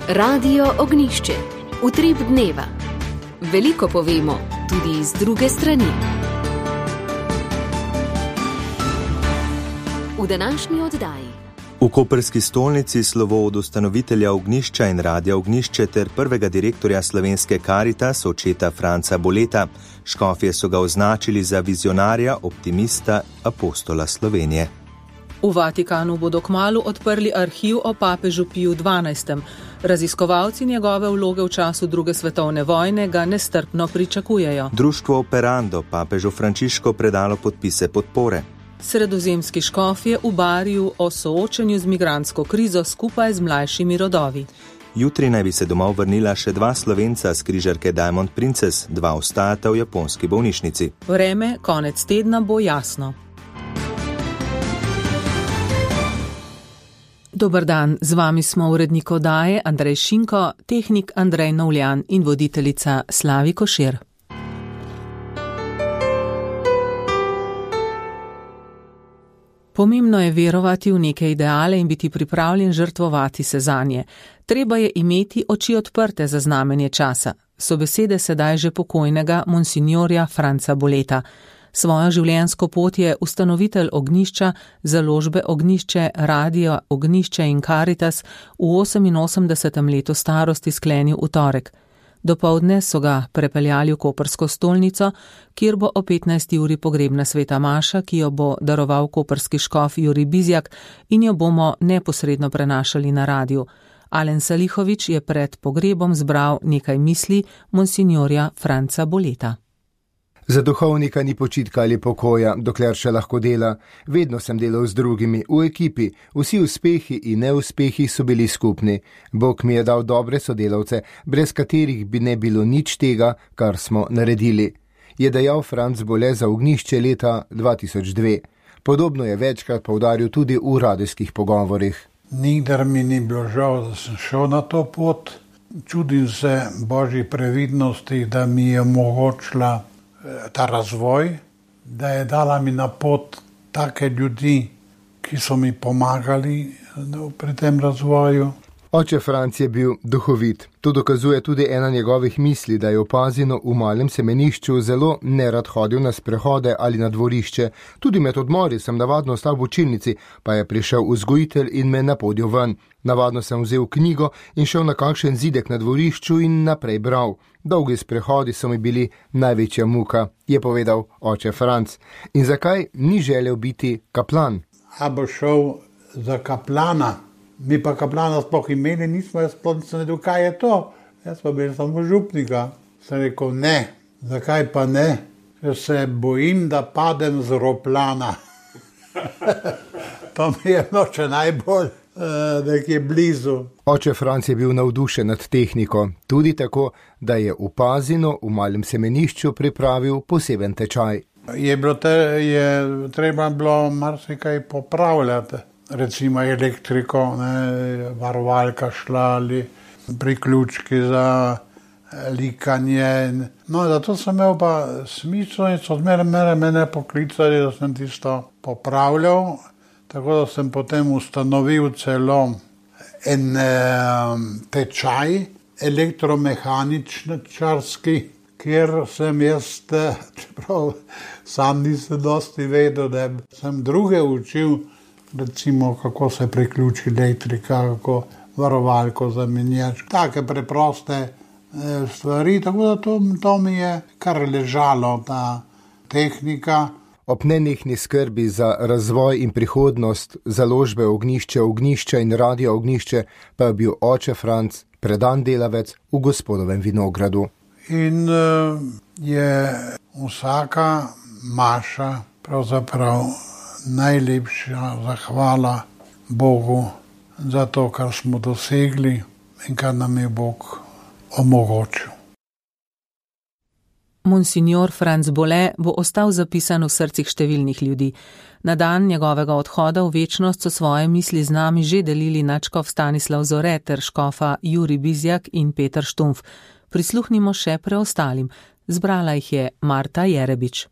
Radio Ognjišče. Utrip dneva. Veliko povemo, tudi iz druge strani. V današnji oddaji. V koprski stolnici slovo od ustanovitelja Ognjišča in Radia Ognjišče ter prvega direktorja slovenske Karitas, očeta Franca Boleta. Škofje so ga označili za vizionarja, optimista, apostola Slovenije. V Vatikanu bodo kmalu odprli arhiv o papežu Piju XII. Raziskovalci njegove vloge v času druge svetovne vojne ga nestrpno pričakujejo. Društvo Operando papežu Frančišku predalo podpise podpore. Sredozemski škofje v Bariju o soočenju z migrantsko krizo skupaj z mlajšimi rodovi. Jutri naj bi se domov vrnila še 2 Slovenca s križarke Diamond Princess, 2 ostajata v japonski bolnišnici. Vreme konec tedna bo jasno. Dober dan, z vami smo urednik oddaje Andrej Šinko, tehnik Andrej Novljan in voditeljica Slavi Košir. Pomembno je verovati v neke ideale in biti pripravljen žrtvovati se zanje. Treba je imeti oči odprte za znamenje časa. So besede sedaj že pokojnega monsignorja Franca Boleta. Svojo življenjsko pot je ustanovitelj Ognjišča, založbe Ognjišče, Radio Ognjišče in Karitas v 88. letu starosti sklenil v torek. Dopoldne so ga prepeljali v koprsko stolnico, kjer bo o 15. uri pogrebna sveta maša, ki jo bo daroval koprski škof Jurij Bizjak in jo bomo neposredno prenašali na radiju. Alen Salihović je pred pogrebom zbral nekaj misli monsignorja Franca Boleta. Za duhovnika ni počitka ali pokoja, dokler še lahko dela. Vedno sem delal z drugimi, v ekipi. Vsi uspehi in neuspehi so bili skupni. Bog mi je dal dobre sodelavce, brez katerih bi ne bilo nič tega, kar smo naredili. Je dejal Franc Bole za Ognjišče leta 2002. Podobno je večkrat poudaril tudi v radijskih pogovorih. Nikdar mi ni bilo žal, da sem šel na to pot. Čudim se Božji previdnosti, da mi je omogočila ta razvoj, da je dala mi na pot take ljudi, ki so mi pomagali pri tem razvoju. Oče Franc je bil duhovit. To dokazuje tudi ena njegovih misli, da je opazino v malem semenišču zelo nerad hodil na sprehode ali na dvorišče. Tudi med odmori sem navadno ostal v učilnici, pa je prišel vzgojitelj in me napodil ven. Navadno sem vzel knjigo in šel na kakšen zidek na dvorišču in naprej bral. Dolgi sprehodi so mi bili največja muka, je povedal oče Franc. In zakaj ni želel biti kaplan? A bo šel za kaplana? Mi pa kaplana sploh imeli nismo, jaz sploh nisem vedel, kaj je to. Jaz pa bil samo župnika. Sem rekel, ne. Zakaj pa ne? Ker se bojim, da padem z roplana. To mi je noče najbolj nekje blizu. Oče Franc je bil navdušen nad tehniko, tudi tako, da je v Pazinu v malem semenišču pripravil poseben tečaj. Je treba bilo marsikaj popravljati. Recimo elektriko, varovalka šla ali priključki za likanje. No, zato sem imel pa smisel in so zmeraj mene poklicali, da sem tisto popravljal. Tako da sem potem ustanovil celo en tečaj elektromehaničarski, kjer sem jaz, čeprav sam nisem dosti vedel, da sem druge učil, recimo kako se priključi elektrika, kako varovalko zamenjaš. Take preproste stvari, tako da to mi je kar ležalo, ta tehnika. Ob nenehni skrbi za razvoj in prihodnost založbe Ognjišča in Radia Ognjišče pa je bil oče Franc predan delavec v gospodovem vinogradu. In je vsaka maša pravzaprav najlepša zahvala Bogu za to, kar smo dosegli in kar nam je Bog omogočil. Monsignor Franc Bole bo ostal zapisan v srcih številnih ljudi. Na dan njegovega odhoda v večnost so svoje misli z nami že delili nadškof Stanislav Zore ter škofa Jurij Bizjak in Peter Štumpf. Prisluhnimo še preostalim. Zbrala jih je Marta Jerebič.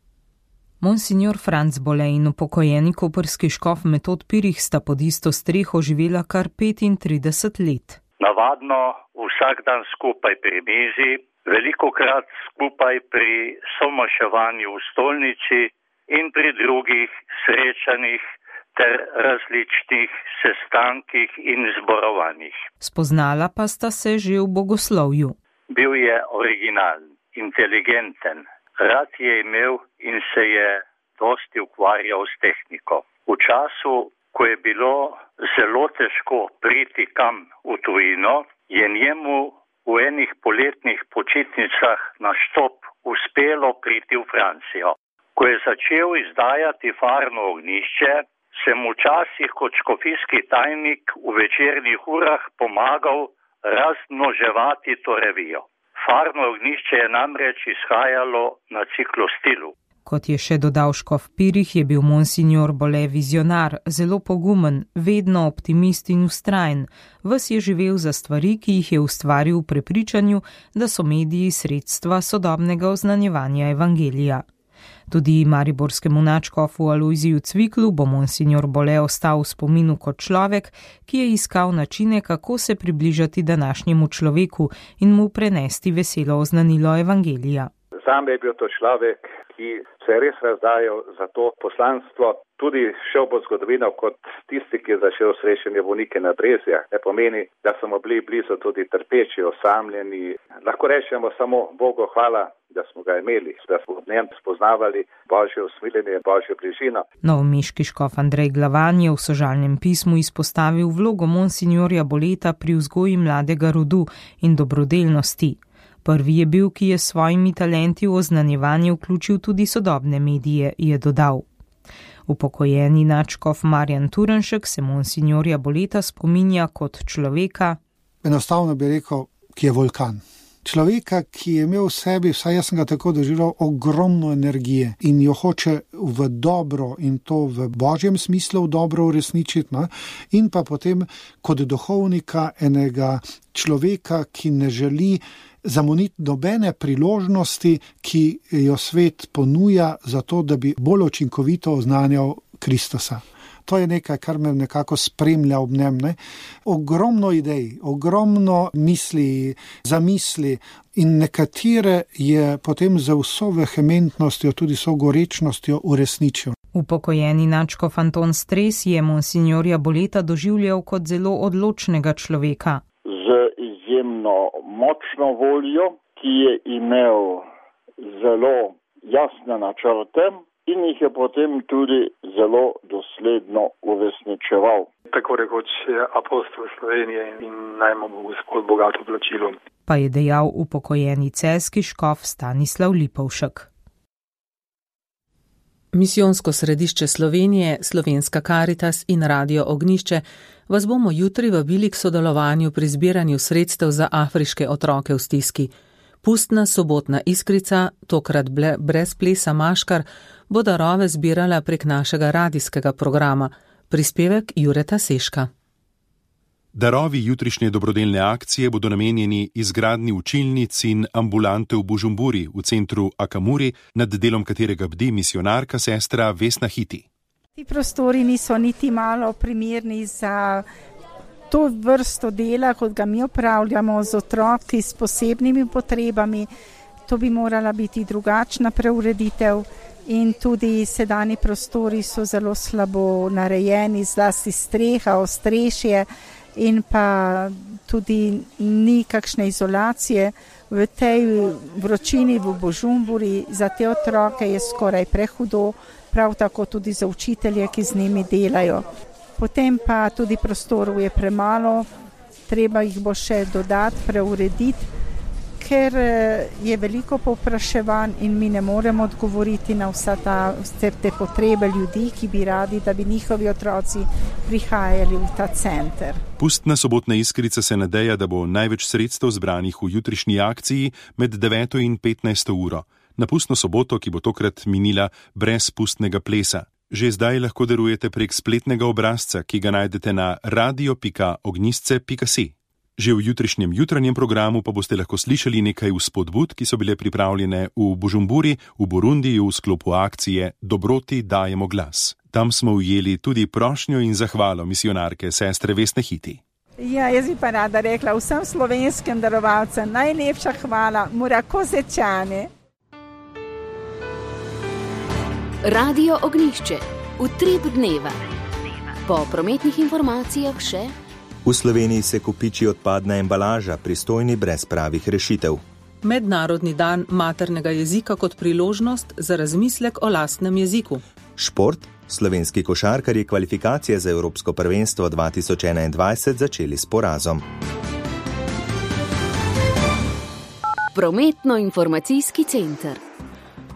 Monsignor Franc Bole in upokojeni koprski škof Metod Pirih sta pod isto streho živela kar 35 let. Navadno vsak dan skupaj pri mizi, velikokrat skupaj pri somaševanju v stolnici in pri drugih srečanjih ter različnih sestankih in zborovanjih. Spoznala pa sta se že v bogoslovju. Bil je originalen, inteligenten, rad je imel in se je dosti ukvarjal s tehniko. V času, ko je bilo zelo težko priti kam v tujino, je njemu v enih poletnih počitnicah na štop uspelo priti v Francijo. Ko je začel izdajati Farno ognjišče, sem včasih kot škofijski tajnik v večernih urah pomagal razmnoževati to revijo. Farno ognjišče je namreč izhajalo na ciklostilu. Kot je še dodal škof Pirih, je bil monsignor Bole vizionar, zelo pogumen, vedno optimist in vztrajen. Ves je živel za stvari, ki jih je ustvaril v prepričanju, da so mediji sredstva sodobnega oznanjevanja evangelija. Tudi mariborskemu nadškofu Alojziju Cviklu bo monsignor Bole ostal v spominu kot človek, ki je iskal načine, kako se približati današnjemu človeku in mu prenesti veselo oznanilo evangelija. Sam je bil to človek, ki se je res razdajal za to poslanstvo, tudi šel bo zgodovino kot tisti, ki je začel srečanje bolnike na Brezjah. Ne pomeni, da so mu bili blizu tudi trpeči, osamljeni. Lahko rečemo samo Bogu hvala, da smo ga imeli, da smo v njem spoznavali Božje usmiljenje, Božjo bližino. Novomeški škof Andrej Glavan je v sožalnem pismu izpostavil vlogo monsignorja Boleta pri vzgoji mladega rodu in dobrodelnosti. Prvi je bil, ki je s svojimi talenti v oznanjevanje vključil tudi sodobne medije, je dodal. Upokojeni nadškof Marjan Turnšek se monsignorja Boleta spominja kot človeka. Enostavno bi rekel, ki je vulkan. Človeka, ki je imel v sebi, vsaj jaz sem ga tako doživel, ogromno energije in jo hoče v dobro in to v božjem smislu v dobro uresničiti, no? In pa potem kot duhovnika enega človeka, ki ne želi zamoniti nobene priložnosti, ki jo svet ponuja za to, da bi bolj učinkovito oznanjal Kristusa. To je nekaj, kar me nekako spremlja ob njem. Ne? Ogromno idej, ogromno misli, zamisli in nekatere je potem za vso vehementnostjo, tudi so gorečnostjo uresničil. Upokojeni nadškof Anton Stres je monsignorja Boleta doživljal kot zelo odločnega človeka. Z izjemno močno voljo, ki je imel zelo jasne načrte, in jih je potem tudi zelo dosledno uresničeval. Tako rekoč je apostol Slovenije in naj mu bo Gospod bogato plačilo. Pa je dejal upokojeni celjski škof Stanislav Lipovšek. Misijonsko središče Slovenije, Slovenska Karitas in Radio Ognjišče vas bomo jutri vabili k sodelovanju pri zbiranju sredstev za afriške otroke v stiski. Pustna sobotna iskrica, tokrat brez plesa maškar, bo darove zbirala prek našega radijskega programa. Prispevek Jureta Seška. Darovi jutrišnje dobrodelne akcije bodo namenjeni izgradnji učilnic in ambulante v Bužumburi, v centru Akamuri, nad delom katerega bdi misijonarka sestra Vesna Hiti. Ti prostori niso niti malo primerni za to vrsto dela, kot ga mi opravljamo z otroki s posebnimi potrebami. To bi morala biti drugačna preureditev in tudi sedanji prostori so zelo slabo narejeni, zlasti streha, ostrešje in pa tudi ni kakšne izolacije. V tej vročini v Bužumburi za te otroke je skoraj prehudo, prav tako tudi za učitelje, ki z njimi delajo. Potem pa tudi prostorov je premalo, treba jih bo še dodati, preurediti, ker je veliko povpraševanj in mi ne moremo odgovoriti na vse te potrebe ljudi, ki bi radi, da bi njihovi otroci prihajali v ta center. Pustna sobotna iskrica se nadeja, da bo največ sredstev zbranih v jutrišnji akciji med 9. in 15. uro. Na pustno soboto, ki bo tokrat minila brez pustnega plesa. Že zdaj lahko darujete prek spletnega obrazca, ki ga najdete na radio.ognjisce.si. Že v jutrišnjem jutranjem programu pa boste lahko slišali nekaj vzpodbud, ki so bile pripravljene v Bužumburi, v Burundiju v sklopu akcije Dobroti dajemo glas. Tam smo ujeli tudi prošnjo in zahvalo misijonarke sestre Vesne Hiti. Ja, jaz bi pa rada rekla vsem slovenskim darovalcem najlepša hvala, Murakosečane. Radio Ognjišče, utrip dneva. Po prometnih informacijah še. V Sloveniji se kopiči odpadna embalaža, pristojni brez pravih rešitev. Mednarodni dan maternega jezika kot priložnost za razmislek o lastnem jeziku. Šport. Slovenski košarkarji kvalifikacije za Evropsko prvenstvo 2021 začeli s porazom. Prometno-informacijski center.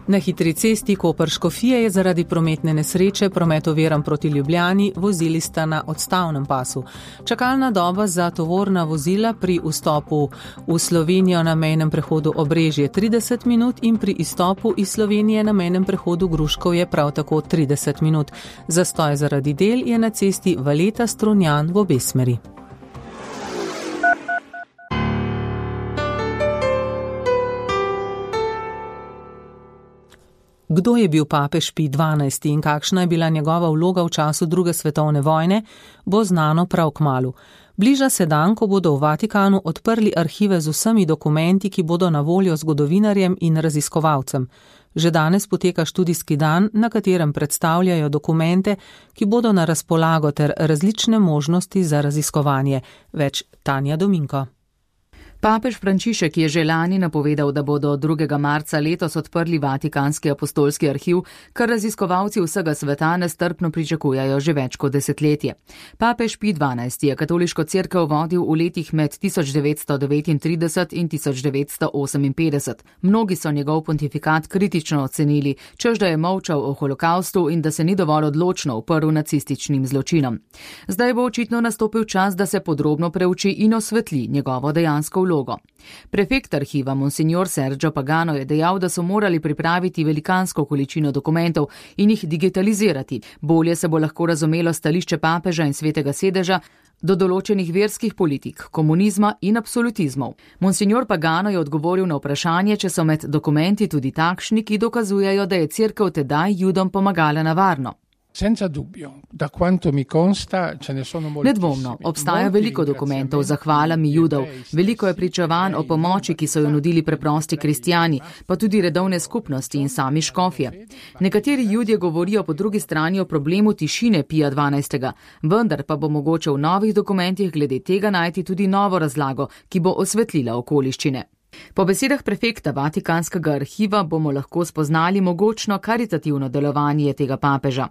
Na hitri cesti Koper-Škofije je zaradi prometne nesreče promet oviran proti Ljubljani, vozili sta na odstavnem pasu. Čakalna doba za tovorna vozila pri vstopu v Slovenijo na mejnem prehodu Obrežje 30 minut in pri izstopu iz Slovenije na mejnem prehodu Gruškov je prav tako 30 minut. Zastoj zaradi del je na cesti Valeta-Strunjan v obe smeri. Kdo je bil papež Pij XII in kakšna je bila njegova vloga v času druge svetovne vojne, bo znano prav kmalu. Bliža se dan, ko bodo v Vatikanu odprli arhive z vsemi dokumenti, ki bodo na voljo zgodovinarjem in raziskovalcem. Že danes poteka študijski dan, na katerem predstavljajo dokumente, ki bodo na razpolago ter različne možnosti za raziskovanje. Več Tanja Dominko. Papež Frančišek je že lani napovedal, da bodo 2. marca letos odprli Vatikanski apostolski arhiv, kar raziskovalci vsega sveta nestrpno pričakujajo že več kot desetletje. Papež Pij XII je katoliško cerkev vodil v letih med 1939 in 1958. Mnogi so njegov pontifikat kritično ocenili, čež da je molčal o holokaustu in da se ni dovolj odločno uprl nacističnim zločinom. Zdaj bo očitno nastopil čas, da se podrobno preuči in osvetli njegovo dejansko vlogo. Prefekt arhiva Monsignor Sergio Pagano je dejal, da so morali pripraviti velikansko količino dokumentov in jih digitalizirati. Bolje se bo lahko razumelo stališče papeža in svetega sedeža do določenih verskih politik, komunizma in absolutizmov. Monsignor Pagano je odgovoril na vprašanje, če so med dokumenti tudi takšni, ki dokazujejo, da je cerkev tedaj Judom pomagala na varno. Nedvomno, obstaja veliko dokumentov z zahvalami Judov, veliko je pričevanj o pomoči, ki so jo nudili preprosti kristjani, pa tudi redovne skupnosti in sami škofje. Nekateri Judje govorijo po drugi strani o problemu tišine Pija XII, vendar pa bo mogoče v novih dokumentih glede tega najti tudi novo razlago, ki bo osvetlila okoliščine. Po besedah prefekta Vatikanskega arhiva bomo lahko spoznali mogočno karitativno delovanje tega papeža.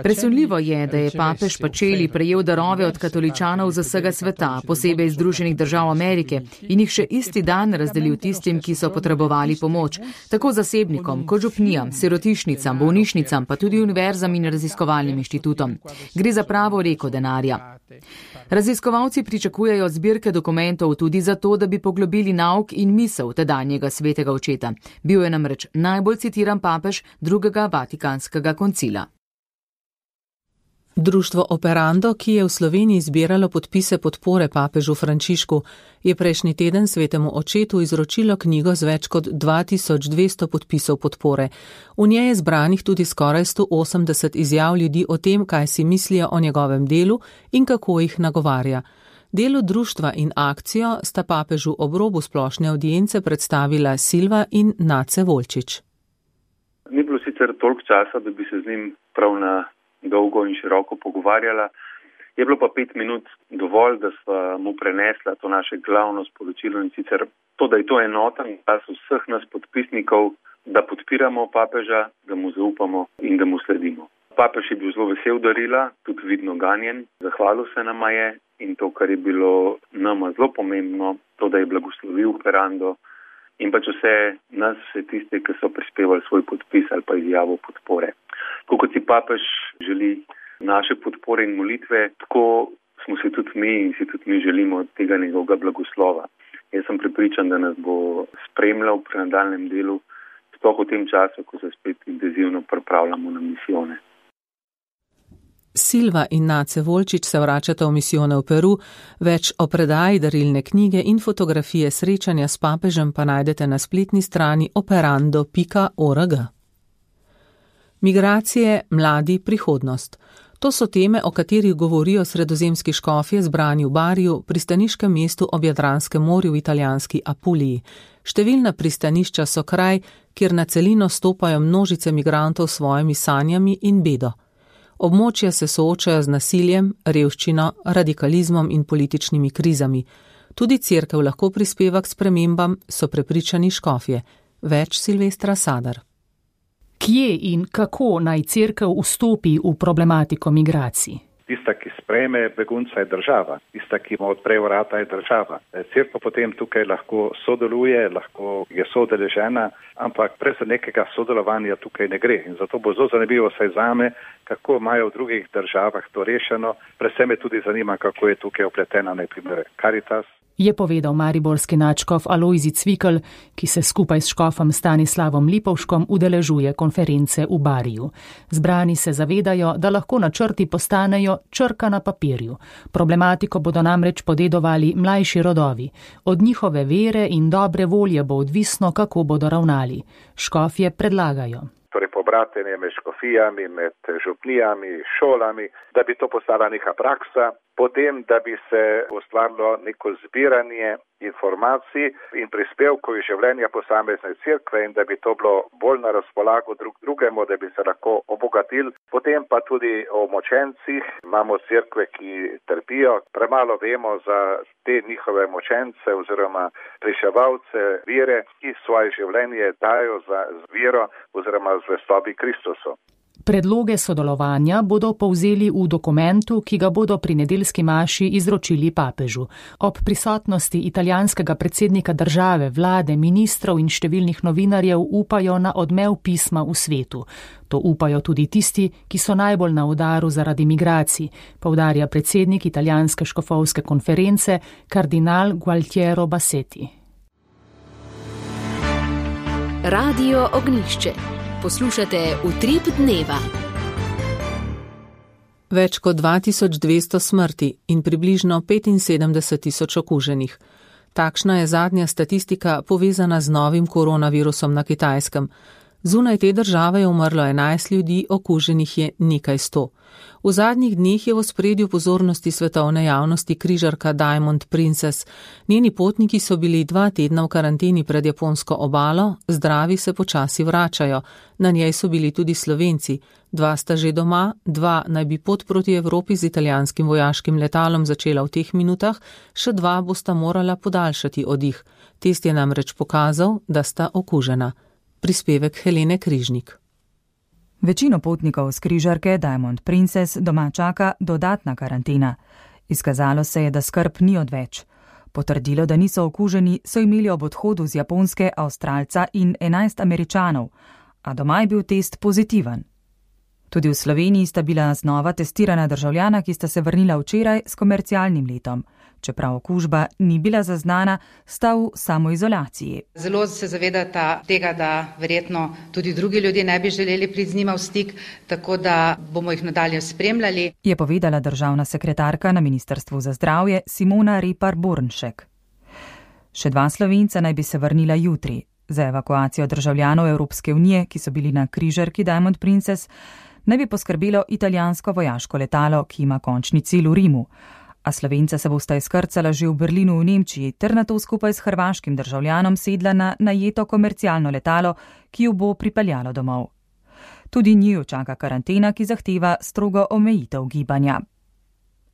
Presunljivo je, da je papež Pacelli prejel darove od katoličanov z vsega sveta, posebej iz Združenih držav Amerike, in jih še isti dan razdelil tistim, ki so potrebovali pomoč, tako zasebnikom, kot župnijam, sirotišnicam, bolnišnicam, pa tudi univerzam in raziskovalnim inštitutom. Gre za pravo reko denarja. Raziskovalci pričakujejo zbirke dokumentov tudi zato, da bi poglobili nauk in misel tedanjega svetega očeta. Bil je namreč najbolj citiran papež drugega Vatikanskega koncila. Društvo Operando, ki je v Sloveniji zbiralo podpise podpore papežu Frančišku, je prejšnji teden svetemu očetu izročilo knjigo z več kot 2200 podpisov podpore. V njej je zbranih tudi skoraj 180 izjav ljudi o tem, kaj si mislijo o njegovem delu in kako jih nagovarja. Delo društva in akcijo sta papežu ob robu splošne avdience predstavila Silva in Nace Volčič. Ni bilo sicer toliko časa, da bi se z njim prav na dolgo in široko pogovarjala. Je bilo pa 5 minut dovolj, da sva mu prenesla to naše glavno sporočilo in sicer to, da je to enoten glas vseh nas podpisnikov, da podpiramo papeža, da mu zaupamo in da mu sledimo. Papež je bil zelo vesel darila, tudi vidno ganjen, zahvalil se nama je in to, kar je bilo nama zelo pomembno, to, da je blagoslovil Operando in pač vse nas, vse tiste, ki so prispevali svoj podpis ali pa izjavo podpore. Tako kot si papež želi naše podpore in molitve, tako smo si tudi mi in si tudi mi želimo tega njegovega blagoslova. Jaz sem prepričan, da nas bo spremljal pri nadaljnjem delu, sploh v tem času, ko se spet intenzivno pripravljamo na misijone. Silva in Nace Volčič se vračata v misijone v Peru, več o predaji darilne knjige in fotografije srečanja s papežem pa najdete na spletni strani operando.org. Migracije, mladi, prihodnost. To so teme, o katerih govorijo sredozemski škofje zbrani v Bariju, pristaniškem mestu ob Jadranskem morju v italijanski Apuliji. Številna pristanišča so kraj, kjer na celino stopajo množice migrantov s svojimi sanjami in bedo. Območja se soočajo z nasiljem, revščino, radikalizmom in političnimi krizami. Tudi cerkev lahko prispeva k spremembam, so prepričani škofje. Več Silvestra Sadar. Kje in kako naj cerkev vstopi v problematiko migracij? Tista, ki sprejme begunca, je država. Tista, ki mu odpre vrata, je država. Cerkev potem tukaj lahko sodeluje, lahko je soudeležena, ampak brez nekega sodelovanja tukaj ne gre. In zato bo zelo zanimivo vsaj zame, kako imajo v drugih državah to rešeno. Predvsem me tudi zanima, kako je tukaj opletena najprimer Caritas. Je povedal mariborski nadškof Alojzij Cvikl, ki se skupaj s škofom Stanislavom Lipovškom udeležuje konference v Bariju. Zbrani se zavedajo, da lahko načrti postanejo črka na papirju. Problematiko bodo namreč podedovali mlajši rodovi. Od njihove vere in dobre volje bo odvisno, kako bodo ravnali. Škofje predlagajo. Torej pobratenje med škofijami, med župnijami, šolami, da bi to postala neka praksa, potem, da bi se ustvarilo neko zbiranje informacij in prispevkov iz življenja posamezne cerkve in da bi to bilo bolj na razpolago drugemu, da bi se lahko obogatili. Potem pa tudi o močencih. Imamo cerkve, ki trpijo. Premalo vemo za te njihove močence oziroma reševalce vere, ki svoje življenje dajo za vero oziroma zvestobi Kristusu. Predloge sodelovanja bodo povzeli v dokumentu, ki ga bodo pri nedeljski maši izročili papežu. Ob prisotnosti italijanskega predsednika države, vlade, ministrov in številnih novinarjev upajo na odmev pisma v svetu. To upajo tudi tisti, ki so najbolj na udaru zaradi migracij, poudarja predsednik italijanske škofovske konference, kardinal Gualtiero Bassetti. Radio Ognjišče. Poslušate Utrip dneva. Več kot 2200 smrti in približno 75.000 okuženih. Takšna je zadnja statistika povezana z novim koronavirusom na Kitajskem. Zunaj te države je umrlo 11 ljudi, okuženih je nekaj 100. V zadnjih dneh je v ospredju pozornosti svetovne javnosti križarka Diamond Princess. Njeni potniki so bili 2 tedna v karanteni pred japonsko obalo, zdravi se počasi vračajo. Na njej so bili tudi Slovenci. 2 sta že doma, 2 naj bi pot proti Evropi z italijanskim vojaškim letalom začela v teh minutah, še 2 bosta morala podaljšati oddih. Test je namreč pokazal, da sta okužena. Prispevek Helene Križnik. Večino potnikov z križarke Diamond Princess doma čaka dodatna karantena. Izkazalo se je, da skrb ni odveč. Potrdilo, da niso okuženi, so imeli ob odhodu z Japonske Avstralca in 11 Američanov, a doma je bil test pozitiven. Tudi v Sloveniji sta bila znova testirana državljana, ki sta se vrnila včeraj s komercialnim letom. Čeprav okužba ni bila zaznana, sta v samoizolaciji. Zelo se zavedata tega, da verjetno tudi drugi ljudje ne bi želeli priti z njima v stik, tako da bomo jih nadalje spremljali. Je povedala državna sekretarka na Ministrstvu za zdravje Simona Repar-Bornšek. Še 2 Slovenca naj bi se vrnila jutri. Za evakuacijo državljanov Evropske unije, ki so bili na križarki Diamond Princess, naj bi poskrbelo italijansko vojaško letalo, ki ima končni cilj v Rimu. A Slovenca se bosta izkrcala že v Berlinu v Nemčiji ter nato skupaj s hrvaškim državljanom sedla na najeto komercialno letalo, ki jo bo pripeljalo domov. Tudi njiju čaka karantena, ki zahteva strogo omejitev gibanja.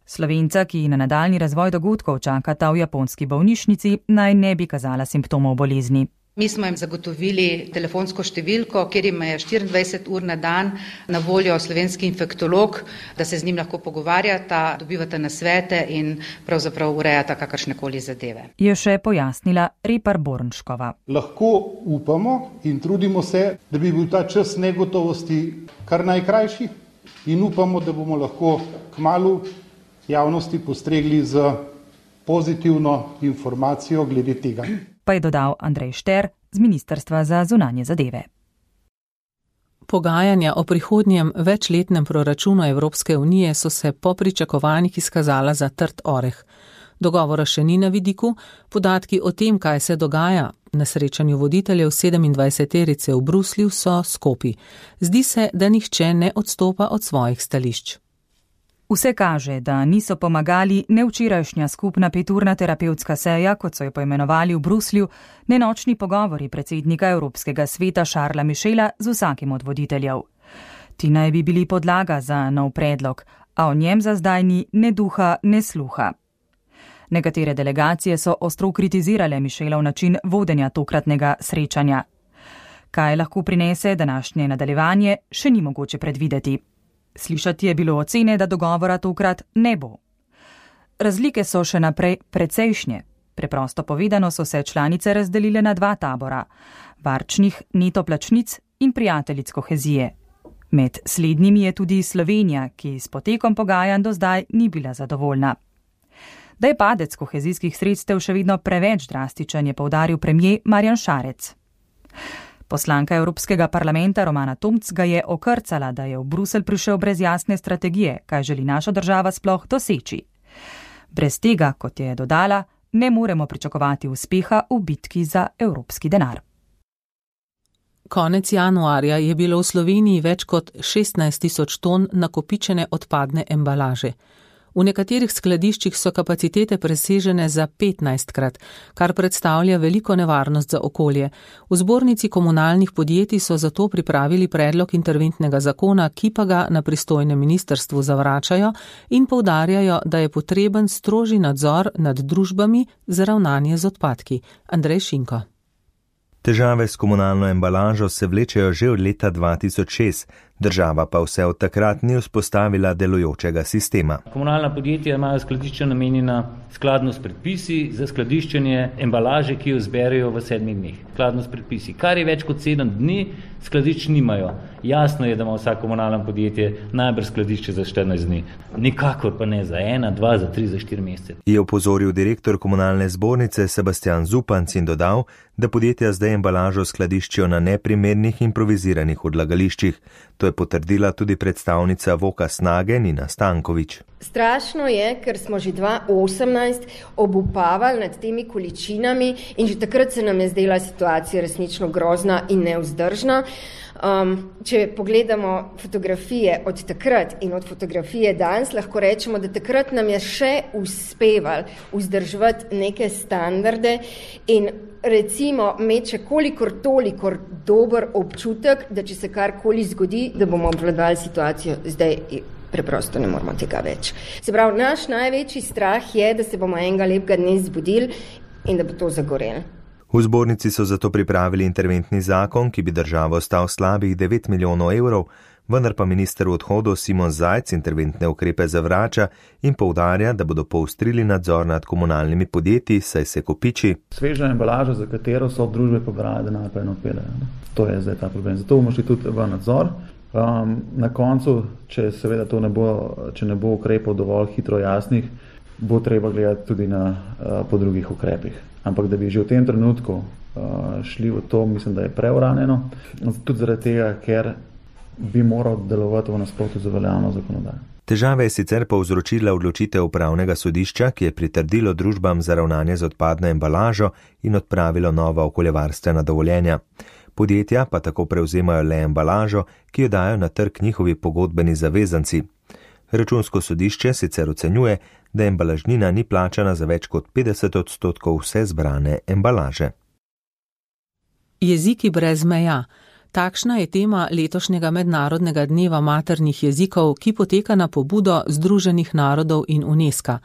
Slovenca, ki na nadaljni razvoj dogodkov čakata v japonski bolnišnici, naj ne bi kazala simptomov bolezni. Mi smo jim zagotovili telefonsko številko, kjer jim je 24 ur na dan na voljo slovenski infektolog, da se z njim lahko pogovarjata, dobivata nasvete in pravzaprav urejata kakršnekoli zadeve. Je še pojasnila Repar-Bornškova. Lahko upamo in trudimo se, da bi bil ta čas negotovosti kar najkrajši in upamo, da bomo lahko kmalu javnosti postregli z pozitivno informacijo glede tega. Pa je dodal Andrej Šter z Ministrstva za zunanje zadeve. Pogajanja o prihodnjem večletnem proračunu Evropske unije so se po pričakovanjih izkazala za trd oreh. Dogovora še ni na vidiku, podatki o tem, kaj se dogaja na srečanju voditeljev 27-terice v Bruslju, so skopi. Zdi se, da nihče ne odstopa od svojih stališč. Vse kaže, da niso pomagali ne včerajšnja skupna 5-urna terapevtska seja, kot so jo poimenovali v Bruslju, ne nočni pogovori predsednika Evropskega sveta Charlesa Michela z vsakim od voditeljev. Ti naj bi bili podlaga za nov predlog, a o njem za zdaj ni ne duha, ne sluha. Nekatere delegacije so ostro kritizirale Michelov način vodenja tokratnega srečanja. Kaj lahko prinese današnje nadaljevanje, še ni mogoče predvideti. Slišati je bilo ocene, da dogovora tokrat ne bo. Razlike so še naprej precejšnje. Preprosto povedano so se članice razdelile na 2 tabora, varčnih neto plačnic in prijateljic kohezije. Med slednjimi je tudi Slovenija, ki s potekom pogajanj do zdaj ni bila zadovoljna. Da je padec kohezijskih sredstev še vedno preveč drastičen, je poudaril premier Marjan Šarec. Poslanka Evropskega parlamenta Romana Tomc ga je okrcala, da je v Bruselj prišel brez jasne strategije, kaj želi naša država sploh doseči. Brez tega, kot je dodala, ne moremo pričakovati uspeha v bitki za evropski denar. Konec januarja je bilo v Sloveniji več kot 16.000 ton nakopičene odpadne embalaže. V nekaterih skladiščih so kapacitete presežene za 15-krat, kar predstavlja veliko nevarnost za okolje. V zbornici komunalnih podjetij so zato pripravili predlog interventnega zakona, ki pa ga na pristojnem ministrstvu zavračajo in poudarjajo, da je potreben strožji nadzor nad družbami za ravnanje z odpadki. Andrej Šinko. Težave s komunalno embalažo se vlečejo že od leta 2006, država pa vse od takrat ni vzpostavila delujočega sistema. Komunalna podjetja imajo skladišča namenjena skladno s predpisi za skladiščenje embalaže, ki jo zberejo v 7 dneh. Skladno s predpisi. Kar je več kot 7 dni, skladišč nimajo. Jasno je, da ima vsak komunalno podjetje najbrž skladišče za 14 dni. Nikakor pa ne za 1, 2, za 3, za 4 mesece. Je opozoril direktor komunalne zbornice Sebastian Zupanc in dodal, da podjetja zdaj embalažo skladiščijo na neprimernih improviziranih odlagališčih. To je potrdila tudi predstavnica Voka Snage Nina Stanković. Strašno je, ker smo že 2018 obupavali nad temi količinami in že takrat se nam je zdela situacija resnično grozna in nevzdržna. Če pogledamo fotografije od takrat in od fotografije danes, lahko rečemo, da takrat nam je še uspevalo vzdrževati neke standarde in recimo imeti kolikor toliko dober občutek, da če se karkoli zgodi, da bomo obvladali situacijo. Zdaj preprosto ne moramo tega več. Se pravi, naš največji strah je, da se bomo enega lepega dne zbudili in da bo to zagorelo. V zbornici so zato pripravili interventni zakon, ki bi državo stal slabih 9 milijonov evrov, vendar pa minister v odhodu Simon Zajc interventne ukrepe zavrača in poudarja, da bodo poostrili nadzor nad komunalnimi podjetji, saj se kopiči. Sveža embalaža, za katero so družbe pobrale denar, pa eno odpeljejo. To je zdaj ta problem. Zato bomo šli tudi v nadzor. Na koncu, če seveda to ne bo ukrepov dovolj hitro jasnih, bo treba gledati tudi po drugih ukrepih. Ampak da bi že v tem trenutku šli v to, mislim, da je preuranjeno. Tudi zaradi tega, ker bi moral delovati v nasprotju z veljavno zakonodajo. Težave je sicer povzročila odločitev upravnega sodišča, ki je pritrdilo družbam za ravnanje z odpadno embalažo in odpravilo nova okoljevarstvena dovoljenja. Podjetja pa tako prevzemajo le embalažo, ki jo dajo na trg njihovi pogodbeni zavezanci. Računsko sodišče sicer ocenjuje, da embalažnina ni plačana za več kot 50% vse zbrane embalaže. Jeziki brez meja. Takšna je tema letošnjega mednarodnega dneva maternih jezikov, ki poteka na pobudo Združenih narodov in UNESCO.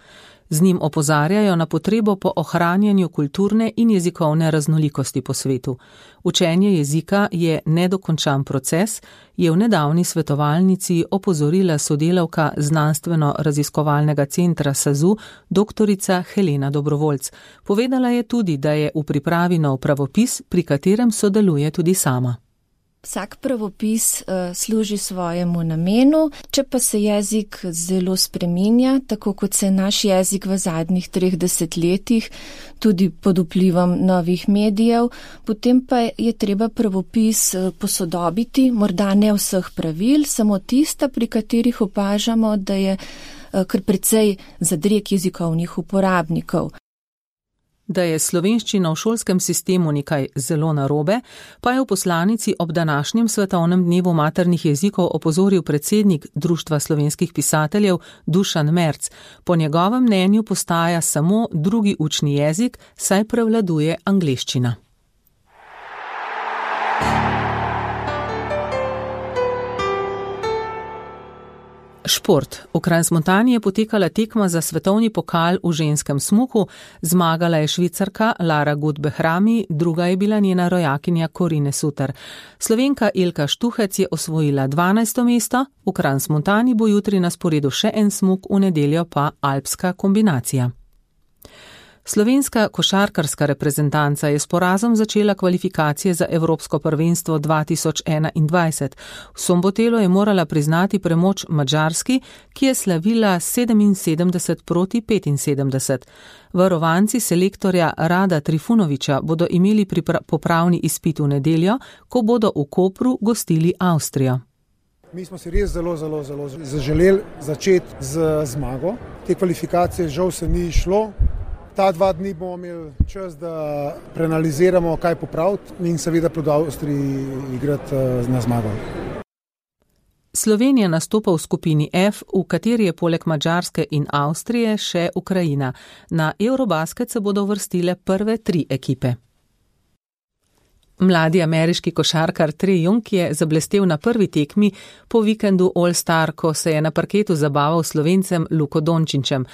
Z njim opozarjajo na potrebo po ohranjanju kulturne in jezikovne raznolikosti po svetu. Učenje jezika je nedokončan proces, je v nedavni svetovalnici opozorila sodelavka Znanstveno-raziskovalnega centra SAZU, doktorica Helena Dobrovoljc. Povedala je tudi, da je v pripravi nov pravopis, pri katerem sodeluje tudi sama. Vsak pravopis služi svojemu namenu, če pa se jezik zelo spreminja, tako kot se naš jezik v zadnjih 30 letih, tudi pod vplivom novih medijev, potem pa je treba pravopis posodobiti, morda ne vseh pravil, samo tista, pri katerih opažamo, da je kar precej zadreg jezikovnih uporabnikov. Da je slovenščina v šolskem sistemu nekaj zelo narobe, pa je v poslanici ob današnjem svetovnem dnevu maternih jezikov opozoril predsednik Društva slovenskih pisateljev Dušan Merc. Po njegovem mnenju postaja samo drugi učni jezik, saj prevladuje angleščina. Šport. V Crans-Montani je potekala tekma za svetovni pokal v ženskem smuku, zmagala je Švicarka Lara Gut-Behrami, druga je bila njena rojakinja Corine Suter. Slovenka Ilka Štuhec je osvojila 12. mesto, v Crans-Montani bo jutri na sporedu še en smuk, v nedeljo pa alpska kombinacija. Slovenska košarkarska reprezentanca je s porazom začela kvalifikacije za Evropsko prvenstvo 2021. V Sombotelu je morala priznati premoč Madžarski, ki je slavila 77 proti 75. Varovanci selektorja Rada Trifunoviča bodo imeli popravni izpit v nedeljo, ko bodo v Kopru gostili Avstrijo. Mi smo si res zelo zaželeli začeti z zmago. Te kvalifikacije žal se ni šlo. Ta 2 dni bomo imeli čas, da preanaliziramo, kaj popraviti in seveda proti Avstriji igrati na zmago. Slovenija nastopa v skupini F, v kateri je poleg Madžarske in Avstrije še Ukrajina. Na Eurobasket se bodo uvrstile prve 3 ekipe. Mladi ameriški košarkar Trae Young je zablestel na prvi tekmi po vikendu All-Star, ko se je na parketu zabaval Slovencem Luko Dončićem.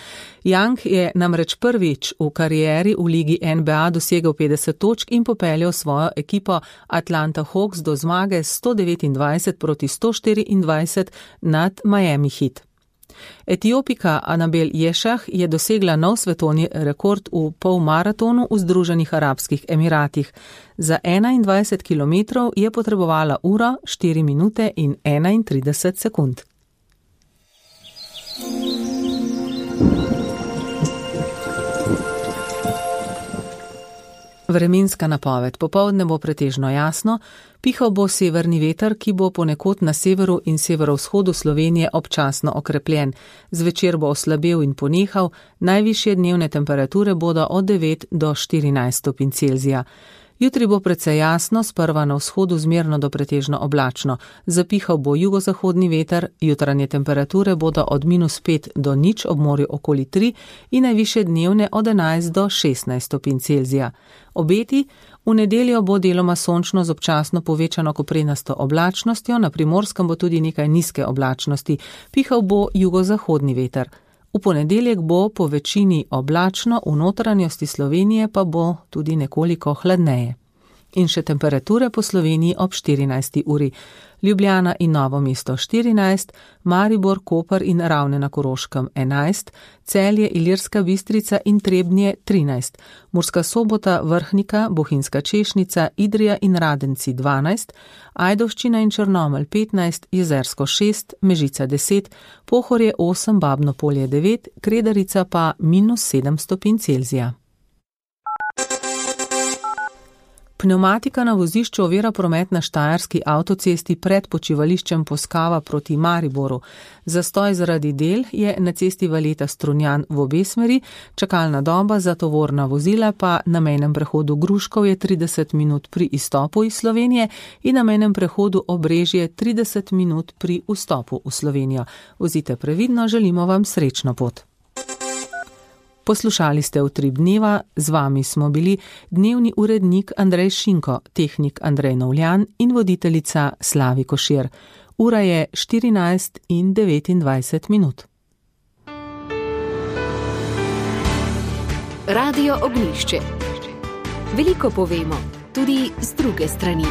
Young je namreč prvič v karieri v ligi NBA dosegel 50 točk in popeljal svojo ekipo Atlanta Hawks do zmage 129 proti 124 nad Miami Heat. Etiopika Anabel Ješah je dosegla nov svetovni rekord v polmaratonu v Združenih arabskih Emiratih. Za 21 km je potrebovala uro, 4 minute in 31 sekund. Vremenska napoved. Popoldne bo pretežno jasno, pihal bo severni veter, ki bo ponekod na severu in severovzhodu Slovenije občasno okrepljen. Zvečer bo oslabel in ponehal, najvišje dnevne temperature bodo od 9 do 14 stopinj Celzija. Jutri bo precej jasno, sprva na vzhodu zmerno do pretežno oblačno. Zapihal bo jugozahodni veter, jutranje temperature bodo od -5 do 0 ob morju okoli 3 in najvišje dnevne od 11 do 16 stopinj Celzija. Obeti: v nedeljo bo deloma sončno z občasno povečano koprenasto oblačnostjo, na Primorskem bo tudi nekaj nizke oblačnosti, pihal bo jugozahodni veter. V ponedeljek bo po večini oblačno, v notranjosti Slovenije pa bo tudi nekoliko hladneje. In še temperature po Sloveniji ob 14. uri. Ljubljana in Novo mesto 14, Maribor, Koper in Ravne na Koroškem 11, Celje, Ilirska Bistrica in Trebnje 13, Murska Sobota, Vrhnika, Bohinjska Češnica, Idrija in Radenci 12, Ajdovščina in Črnomelj 15, Jezersko 6, Mežica 10, Pohorje 8, Babno Polje 9, Kredarica pa -7 stopinj Celzija. Pneumatika na vozišču ovira promet na štajerski avtocesti pred počivališčem Poskava proti Mariboru. Zastoj zaradi del je na cesti Valeta-Strunjan v obe smeri, čakalna doba za tovorna vozila pa na mejnem prehodu Gruškov je 30 minut pri izstopu iz Slovenije in na mejnem prehodu Obrežje 30 minut pri vstopu v Slovenijo. Vozite previdno, želimo vam srečno pot. Poslušali ste Utrip dneva, z vami smo bili dnevni urednik Andrej Šinko, tehnik Andrej Novljan in voditeljica Slavi Košir. Ura je 14:29 minut. Radio Ognjišče. Veliko povemo, tudi z druge strani.